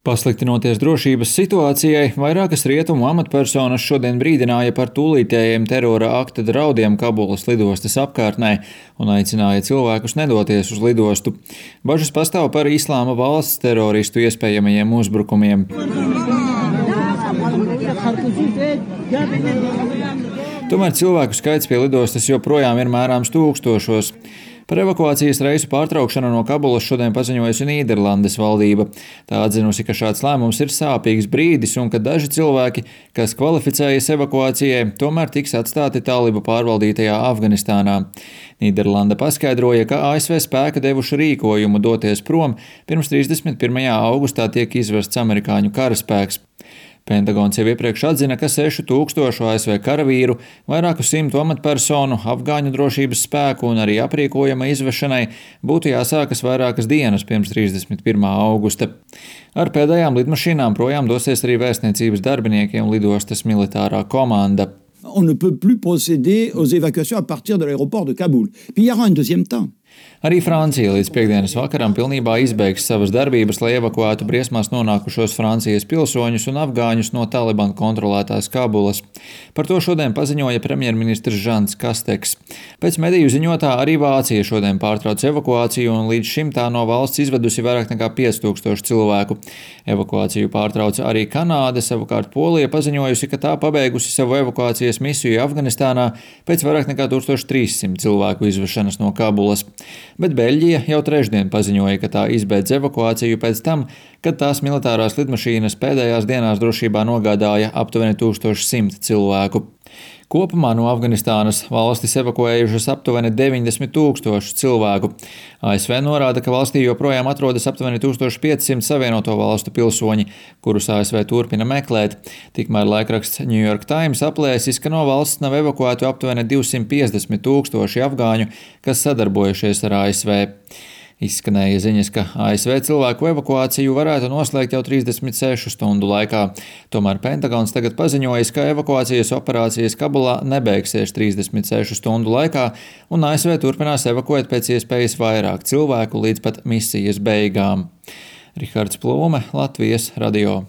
Pasliktinoties drošības situācijai, vairākas rietumu amatpersonas šodien brīdināja par tūlītējiem terora akta draudiem Kabulas lidostas apkārtnē un aicināja cilvēkus nedoties uz lidostu. Bažas pastāv par Islāma valsts teroristu iespējamajiem uzbrukumiem. Tomēr cilvēku skaits pie lidostas joprojām ir mērāms tūkstošos. Par evakuācijas reisu pārtraukšanu no Kabulas šodien paziņojusi Nīderlandes valdība. Tā atzinusi, ka šāds lēmums ir sāpīgs brīdis un ka daži cilvēki, kas kvalificējas evakuācijai, tomēr tiks atstāti talibu pārvaldītajā Afganistānā. Nīderlanda paskaidroja, ka ASV spēki devuši rīkojumu doties prom, pirms 31. augustā tiek izvests amerikāņu karaspēks. Pentagons jau iepriekš atzina, ka 6000 ASV karavīru, vairāku simtu amatpersonu, afgāņu drošības spēku un arī aprīkojuma izvešanai būtu jāsākas vairākas dienas pirms 31. augusta. Ar pēdējām lidmašīnām projām dosies arī vēstniecības darbinieki un lidostas militārā komanda. On ne peut plus procéder aux évacuations à partir de l'aéroport de Kaboul. Puis il y aura un deuxième temps. Arī Francija līdz piekdienas vakaram pilnībā izbeigs savas darbības, lai evakuētu briesmās nonākušos Francijas pilsoņus un afgāņus no Taliban kontrolētās Kabulas. Par to šodien paziņoja premjerministrs Žans Kasteks. Pēc mediju ziņotā arī Vācija šodien pārtrauc evakuāciju un līdz šim tā no valsts izvedusi vairāk nekā 5000 cilvēku. Evakuāciju pārtrauca arī Kanāda, savukārt Polija paziņojusi, ka tā pabeigusi savu evakuācijas misiju Afganistānā pēc vairāk nekā 1300 cilvēku izvešanas no Kabulas. Bet Beļģija jau trešdien paziņoja, ka tā izbeidz evakuāciju pēc tam, kad tās militārās lidmašīnas pēdējās dienās drošībā nogādāja aptuveni 1100 cilvēku. Kopumā no Afganistānas valstis evakuējušas aptuveni 90 000 cilvēku. ASV norāda, ka valstī joprojām atrodas aptuveni 1500 Savienoto valstu pilsoņi, kurus ASV turpina meklēt. Tikmēr laikraksts New York Times aplēsis, ka no valsts nav evakuētu aptuveni 250 000 afgāņu, kas sadarbojušies ar ASV. Izskanēja ziņas, ka ASV cilvēku evakuāciju varētu noslēgt jau 36 stundu laikā. Tomēr Pentagons tagad paziņojis, ka evakuācijas operācijas Kabulā nebeigsies 36 stundu laikā, un ASV turpinās evakuēt pēc iespējas vairāk cilvēku līdz pat misijas beigām. Rihards Plūme, Latvijas radio.